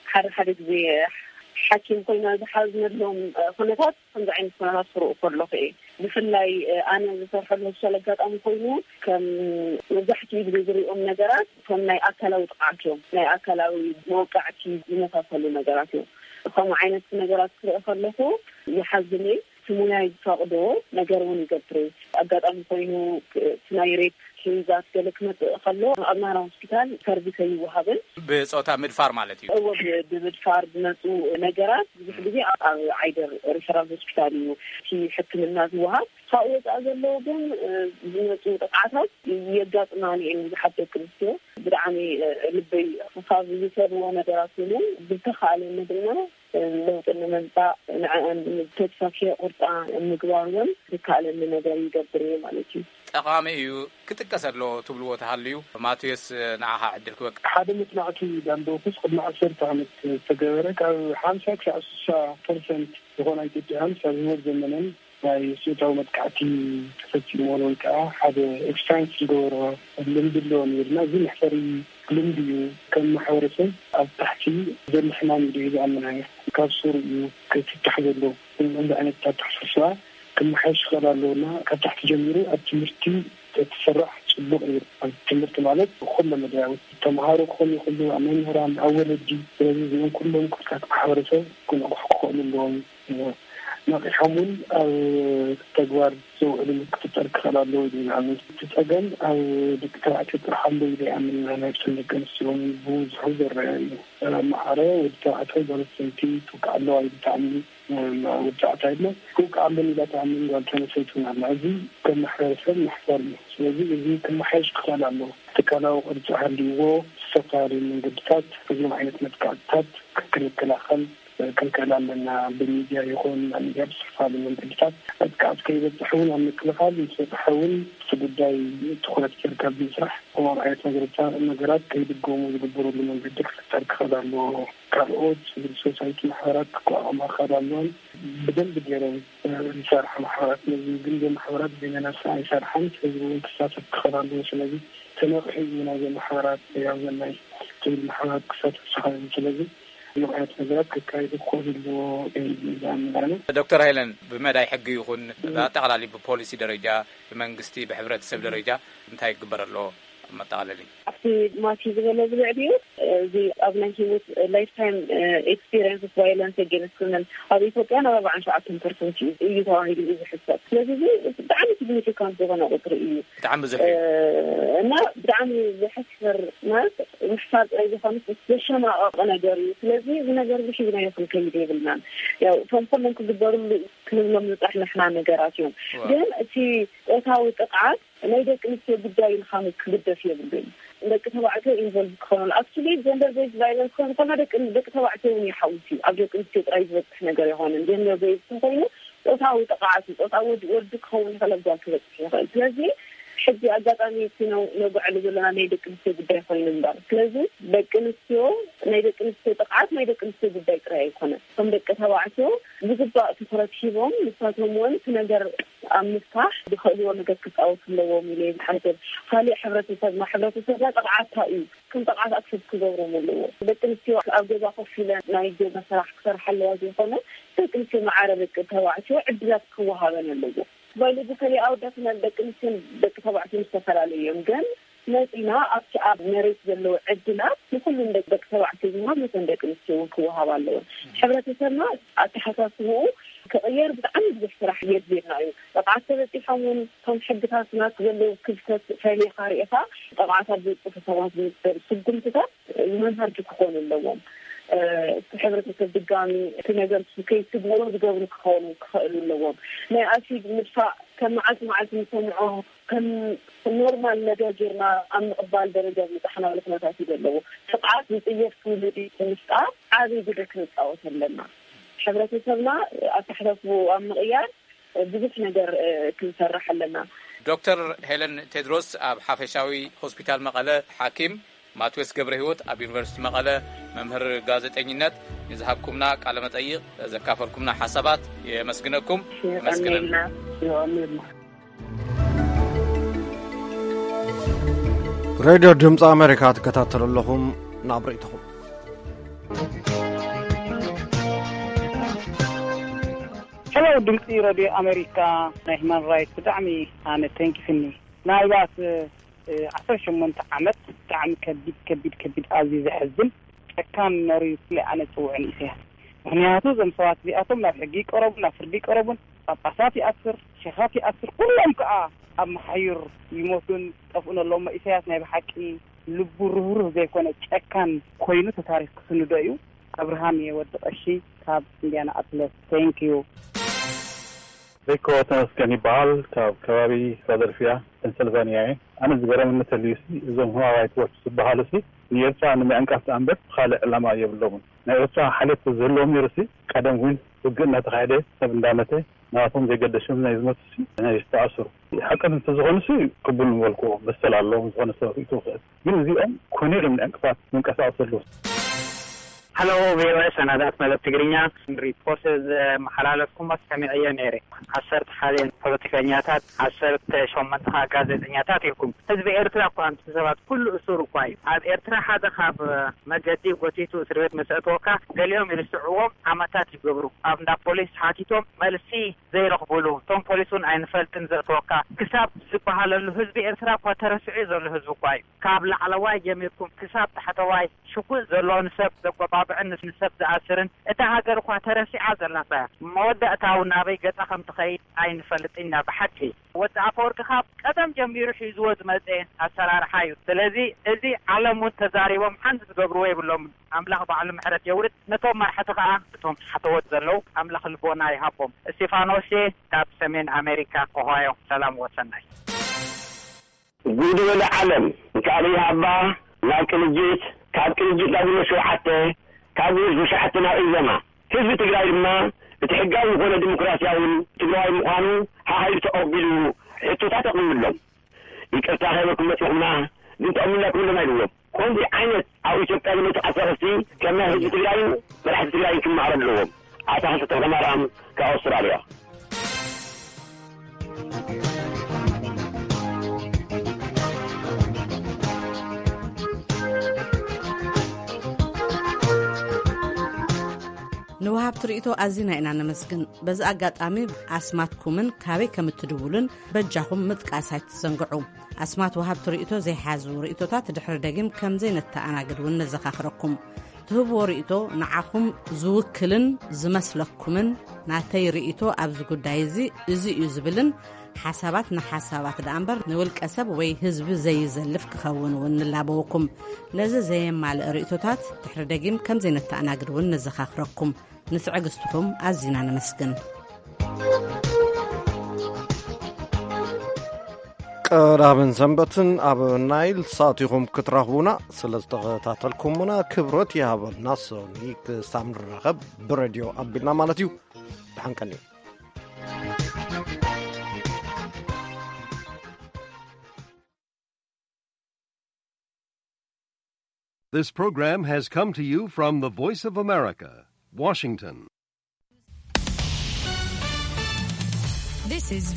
ሓደ ሓደ ግዜ ሓኪም ኮይና ዝሓዝነሎም ኩነታት ከምዚ ዓይነት ኩነታት ክርኢ ከለኹ እየ። ብፍላይ ኣነ ዝሰርሐሉ ሆስፒታል ኣጋጣሚ ኮይኑ ከም መብዛሕትኡ ግዜ ዝሪኦም ነገራት እቶም ናይ ኣካላዊ ጥቕዓት እዮም። ናይ ኣካላዊ መወቃዕቲ ዝመሳሰሉ ነገራት እዮም። ከምኡ ዓይነት ነገራት ክርኢ ከለኹ ይሓዝን እየ። እቲ ሙያይ ዝፈቕዶ ነገር እውን ይገብር እየ። ኣጋጣሚ ኮይኑ እቲ ናይ ሬፕ ኬዛት ገለ ክመፅእ ከሎ ኣብ ናህራ ሆስፒታል ሰርቪስ ኣይወሃብን። ብፆታ ምድፋር ማለት እዩ። እወ፣ ብምድፋር ዝመፁ ነገራት ብዙሕ ግዜ ኣብ ዓይደር ሪፈራል ሆስፒታል እዩ እቲ ሕክምና ዝወሃብ። ካብኡ ወፃኢ ዘለዉ ግን ዝመፁ ጥቕዓታት የጋጥማኒ እየን። ብዙሓት ደቂ ኣንስትዮ ብጣዕሚ ልበይ ካብ ዝሰብዎ ነገራት ኮይኑ ብዝተኻእለኒ ድማ ለውጢ ንምምፃእ ንዐኣን ተስፋ ከየቁርፃ ምግባር እውን ዝከኣለኒ ነገር ይገብር እየ ማለት እዩ። ጠቓሚ እዩ ክጥቀስ ኣለዎ ትብልዎ ተሃልዩ ማቴዎስ ንዓኻ ዕድል ክበቅ። ሓደ መፅናዕቲ ዳንዶክስ ቅድሚ ዓሰርተ ዓመት ዝተገበረ ካብ ሓምሳ ክሳዕ ስሳ ፐርሰንት ዝኾና ኢትዮጵያውያን ኣብ ህይወት ዘመነን ናይ ፆታዊ መጥቃዕቲ ተፈፂምዎን ወይ ከዓ ሓደ ኤክስፒሪንስ ዝገበሮ ልምዲ ኣለዎ ነይርና። እዚ መሕፈሪ ልምዲ እዩ። ከም ማሕበረሰብ ኣብ ታሕቲ ዘሎ ሕማም እዩ ዝኣምና እየ። ካብ ሱሩ እዩ ክትታሕ ዘለዎ። እዚ ዓይነት ኣተሓሳስባ ክመሓየሽ ክኽእል ኣለዎ እና ካብ ታሕቲ ጀሚሩ ኣብ ትምህርቲ ተትስራሕ ፅቡቕ እዩ። ኣብ ትምህርቲ ማለት ኩለ መዳያዊ ተምሃሮ ክኾኑ ይኽእሉ፣ ኣብ መምህራን፣ ኣብ ወለዲ። ስለዚ እዚኦም ኩሎም ክፍልታት ማሕበረሰብ ክንቕሑ ክኽእሉ ኣለዎም። ነቒሖም እውን ኣብ ተግባር ዘውዕልሉ ክፍጠር ክኽእል ኣለዎ ኢሉ ይኣምን። እቲ ፀገም ኣብ ደቂ ተባዕትዮ ጥራሕ ኣሎ ኢለ ይኣምን። ናይ ደቂ ኣንስትዮ እውን ብብዝሑ ዝረአ እዩ። ማዕረ ወዲ ተባዕታይ ጓል ኣንስተይቲ ትውቃዕ ኣለዋ ኢሉ ትኣምን ወዲ ተባዕታይ ኣሎ። ትውቃዕ ኣለኒ ኢላ ትኣምን ጓል ኣንስተይቲ እውን ኣላ። እዚ ከም ማሕበረሰብ መሕፈር እዩ። ስለዚ እዚ ክመሓየሽ ክኽእል ኣለዎ። ትካላዊ ቅርፂ ሃልይዎ ዝተፈላለዩ መንገድታት እዞም ዓይነት መጥቃዕትታት ክንከላኸል ክንክእል ኣለና። ብሚድያ ይኹን ኣብ ሚድያ ብዝተፈላለዩ መንገድታት መጥቃዕቲ ከይበፅሕ እውን ኣብ ምክልኻል ምስ በፅሐ እውን እቲ ጉዳይ ትኹረት ጌርካ ብምስራሕ ከምኦም ዓይነት ነገርታ ነገራት ከይድገሙ ዝግበረሉ መንገዲ ክፍጠር ክኽእል ኣለዎ። ካልኦት ሲቪል ሶሳይቲ ማሕበራት ክቋቋማ ክኽእል ኣለዎን ብደንቢ ገይረን ዝሰርሓ ማሕበራት ነዚ ግን ማሕበራት በይነን ኣይሰርሓን። ህዝቢ እውን ክሳተፍ ክኽእል ኣለዎ። ስለዚ ተነቂሑ እዩ ናይዘን ማሕበራት ያው ዘናይ ትብል ማሕበራት ክሳተፍ ዝኽእል። ስለዚ እዞም ዓይነት ነገራት ክካየዱ ክኽእሉ ኣለዎ ኢሉ ዝኣምን ኣነ። ዶክተር ሃይለን ብመዳይ ሕጊ ይኹን ብኣጠቓላሊ ብፖሊሲ ደረጃ ብመንግስቲ ብሕብረተሰብ ደረጃ እንታይ ክግበር ኣለዎ? መጠቓለሊ ኣብቲ ማቲ ዝበለ ዝልዕልዩ እዚ ኣብ ናይ ህይወት ላይፍ ታይም ኤክስፒሪንስ ቫይለንስ ኣጌንስት ውመን ኣብ ኢትዮጵያ ናብ ኣርባዓን ሸውዓተን ፐርሰንት እዩ ተባሂሉ እዩ ዝሕሰብ። ስለዚ እዚ ብጣዕሚ ሲግኒፊካንት ዝኾነ ቁፅሪ እዩ። ብጣዕሚ ብዙሕ እዩ። እና ብጣዕሚ ዘሕፍር ማለት ምሕሳብ ጥራይ ዝኾነ ዘሸማቐቕ ነገር እዩ። ስለዚ እዚ ነገር እዚ ሒዝናዮ ክንከይድ የብልናን። ያው እቶም ኩሎም ክግበሩሉ ክንብሎም ዝፀናሕና ነገራት እዮም። ግን እቲ ፆታዊ ጥቕዓት ናይ ደቂ ኣንስትዮ ጉዳይ ኢልካ ክግደፍ የብሉን። ደቂ ተባዕትዮ ኢንቮልቭ ክኾኑ ኣክቹሊ ጀንደር ቤዝ ቫይለንስ ክኾኑ ከሎ ደቂ ደቂ ተባዕትዮ እውን ይሓውስ እዩ። ኣብ ደቂ ኣንስትዮ ጥራይ ዝበፅሕ ነገር ይኾንን። ጀንደር ቤዝ እንተኮይኑ ፆታዊ ጥቕዓት እዩ። ፆታዊ ወዲ ክኸውን ይኽእል፣ ኣብ ጓል ክበፅሕ ይኽእል። ስለዚ ሕጂ ኣጋጣሚ እቲ ነጉዐሉ ዘለና ናይ ደቂ ኣንስትዮ ጉዳይ ኮይኑ እምበር። ስለዚ ደቂ ኣንስትዮ ናይ ደቂ ኣንስትዮ ጥቕዓት ናይ ደቂ ኣንስትዮ ጉዳይ ጥራይ ኣይኮነን። እቶም ደቂ ተባዕትዮ ብግባእ ትኩረት ሂቦም ንሳቶም እውን እቲ ነገር ኣብ ምፍታሕ ዝኽእልዎ ነገር ክፃወቱ ኣለዎም ኢለ ዝሓስብ። ካሊእ ሕብረተሰብና ሕብረተሰብና ጥቕዓታ እዩ። ከም ጥቕዓት ኣክሰፕት ክገብሮም ኣለዎ። ደቂ ኣንስትዮ ኣብ ገዛ ኮፍ ኢለን ናይ ገዛ ስራሕ ክሰርሓ ኣለዋ ዘይኮነ ደቂ ኣንስትዮ ማዕረ ደቂ ተባዕትዮ ዕድላት ክወሃበን ኣለዎ። ባዮሎጂካሊ ኣወዳት ደቂ ኣንስትዮን ደቂ ተባዕትዮን ዝተፈላለዩ እዮም። ግን መፂና ኣብቲ ኣብ መሬት ዘለዉ ዕድላት ንኩሉም ደቂ ተባዕትዮ ዝወሃብ ነተን ደቂ ኣንስትዮ እውን ክወሃብ ኣለወን። ሕብረተሰብና ኣተሓሳስብኡ ክቕየር ብጣዕሚ ብዙሕ ስራሕ የድልየና እዩ። ጥቕዓት ተበፂሖም እውን እቶም ሕግታትና ዘለዉ ክፍተት ፈሊኻ ርኢኻ ጥቕዓት ኣብ ዘብፅሑ ሰባት ዝግበር ስጉምትታት መምሃርቲ ክኾኑ ኣለዎም። እቲ ሕብረተሰብ ድጋሚ እቲ ነገር ከይስግምሮ ዝገብሩ ክኾኑ ክኽእሉ ኣለዎም። ናይ ኣሲድ ምድፋእ ከም መዓልቲ መዓልቲ ንሰምዖ ከም ኖርማል ነገር ጌርና ኣብ ምቕባል ደረጃ ዝበፅሓናሉ ኩነታት እዩ ዘለዎ። ጥቕዓት ዝፅየፍ ትውልዲ ምፍጣር ዓብዪ ግደ ክንፃወት ኣለና። ሕብረተሰብና ኣተሓሳስብኡ ኣብ ምቕያር ብዙሕ ነገር ክንሰርሕ ኣለና። ዶክተር ሄለን ቴድሮስ ኣብ ሓፈሻዊ ሆስፒታል መቐለ ሓኪም፣ ማትዎስ ገብረ ህይወት ኣብ ዩኒቨርሲቲ መቐለ መምህር ጋዜጠኝነት፣ ንዝሃብኩምና ቃለ መጠይቕ ዘካፈልኩምና ሓሳባት የመስግነኩም። የቐንየልና። ሬድዮ ድምፂ ኣሜሪካ ትከታተሉ ኣለኹም። ናብ ርእይቶኹም። ሄሎ፣ ድምፂ ሬድዮ ኣሜሪካ ናይ ሂማን ራይት ብጣዕሚ ኣነ ተንኪፍኒ። ምናልባት ዓሰርተ ሸሞንተ ዓመት ብጣዕሚ ከቢድ ከቢድ ከቢድ ኣዝዩ ዘሕዝን ጨካን መሪር ስለ ኣነ ጽውዕን ኢሳያስ። ምኽንያቱ እዞም ሰባት እዚኣቶም ናብ ሕጊ ይቀረቡን ናብ ፍርዲ ይቀረቡን፣ ጳጳሳት ይኣስር፣ ሸኻት ይኣስር፣ ኩሎም ከኣ ኣብ መሓዩር ይሞቱን ጠፍኡን ኣለዉ። እሞ ኢሳያስ ናይ ብሓቂ ልቡ ርህሩህ ዘይኮነ ጨካን ኮይኑ ተታሪኽ ክስንዶ እዩ። ኣብርሃም እየ ወዲ ቀሺ ካብ ኢንዲያና ኣፕለስ። Thank you። ሪኮ ተመስገን ይበሃል። ካብ ከባቢ ፊላደልፊያ ፔንሰልቫኒያ እየ። ኣነ ዝገረመኒ ተልዩ ሲ እዞም ሁማን ራይት ዎች ዝበሃሉ ሲ ንኤርትራ ንምዕንቃፍ ደኣ እምበር ካልእ ዕላማ የብሎምን። ናይ ኤርትራ ሓልዮት ተዝህልዎም ነይሩ ሲ ቀደም እውን ውግእ እናተኻየደ ሰብ እንዳመተ ናቶም ዘይገደሾም ናይ ዝመቱ ሲ ናይ ዝተኣስሩ ሓቅን እንተዝኾኑ ሲ ቅቡል ምበልክዎ መሰል ኣለዎም ዝኾነ ሰብ ርእይቶ ክእል። ግን እዚኦም ኮነ ኢሎም ንዕንቅፋት መንቀሳቐሲ ኣለዉ። ሃሎ ቪኦኤ ሰናዳት መደብ ትግርኛ ሪፖርት ዘመሓላለፍኩም ሰሚዐዮ ነይረ። ዓሰርተ ሓደ ፖለቲከኛታት ዓሰርተ ሸሞንተ ከዓ ጋዜጠኛታት ኢልኩም ህዝቢ ኤርትራ እኳ ኣንቱ ሰባት ኩሉ እሱር እኳ እዩ። ኣብ ኤርትራ ሓደ ካብ መገዲ ጎቲቱ እስር ቤት ምስ ኣእተወካ ገሊኦም ይርስዕዎም ዓመታት ይገብሩ ኣብ እንዳ ፖሊስ ሓቲቶም መልሲ ዘይረኽብሉ እቶም ፖሊስ እውን ኣይንፈልጥን ዘእተወካ ክሳብ ዝበሃለሉ ህዝቢ ኤርትራ እኳ ተረሲዑ ዘሎ ህዝቢ እኳ እዩ። ካብ ላዕለዋይ ጀሚርኩም ክሳብ ታሕተዋይ ሽጉጥ ዘለዎ ንሰብ ዘጎባብዕን ንሰብ ዝኣስርን እታ ሃገር እኳ ተረሲዓ ዘላታ እያ። መወዳእታው ናበይ ገጻ ከም ትኸይድ ኣይንፈልጥን ኢና ብሓቂ። ወዲ ኣፈወርቂ ካብ ቀደም ጀሚሩ ሒዝዎ ዝመጸ ኣሰራርሓ እዩ። ስለዚ እዚ ዓለም እውን ተዛሪቦም ሓንቲ ዝገብርዎ የብሎምን። ኣምላኽ ባዕሉ ምሕረት የውርድ ነቶም መራሕቲ ከኣ እቶም ሓተወት ዘለዉ ኣምላኽ ልቦና ይሃቦም። እስቲፋኖስ ካብ ሰሜን ኣሜሪካ ኦሃዮ ሰላም ወሰናይ። ጉድ በለ ዓለም። ካብ ኢህኣባ ናብ ቅንጅት፣ ካብ ቅንጅት ናብ ግንቦት ሸውዓተ፣ ካብ ግንቦት ሸውዓተ ናብ ኢዘማ። ህዝቢ ትግራይ ድማ እቲ ሕጋዊ ዝኾነ ዲሞክራሲያውን ትግራዋይ ምዃኑ ሃሃይሉ ተቐቢሉ ሕቶታት ኣቕሪቡሎም። ይቅርታ ከይበልኩም መፂኹምና ግን ተቐቢልና ክብሎም ኣይብዎም። ከምዚ ዓይነት ኣብ ኢትዮጵያ ዝመፁ ዓሰርተ ከም ናይ ህዝቢ ትግራይን መራሕቲ ትግራይን ክመሃሩ ኣለዎም። ኣታ ክልተ ተኽለማርያም ካብ ኣውስትራልያ። ወሃብቲ ርእይቶ ኣዚና ኢና ነመስግን። በዚ ኣጋጣሚ ኣስማትኩምን ካበይ ከም እትድውሉን በጃኹም ምጥቃስ ኣይትዘንግዑ። ኣስማት ወሃብቲ ርእይቶ ዘይሓዙ ርእይቶታት ድሕሪ ደጊም ከም ዘይነተኣናግድ እውን ነዘኻኽረኩም። ትህብዎ ርእይቶ ንዓኹም ዝውክልን ዝመስለኩምን፣ ናተይ ርእይቶ ኣብዚ ጉዳይ እዚ እዚ እዩ ዝብልን ሓሳባት ንሓሳባት ደኣ እምበር ንውልቀ ሰብ ወይ ህዝቢ ዘይዘልፍ ክኸውን እውን ንላበወኩም። ነዚ ዘየማልእ ርእይቶታት ድሕሪ ደጊም ከም ዘይነተኣናግድ እውን ነዘኻኽረኩም። ንትዕግስትኹም ኣዚና ነመስግን። ቀዳምን ሰንበትን ኣብ ናይል ሳት ኢኹም ክትረኽቡና። ስለ ዝተኸታተልኩምና ክብረት ይሃበልና። ሶኒ ክሳብ ንራኸብ ብሬድዮ ኣቢልና ማለት እዩ። ብሓንቀን እዩ። This program has come to you from the Voice of America, Washington. This is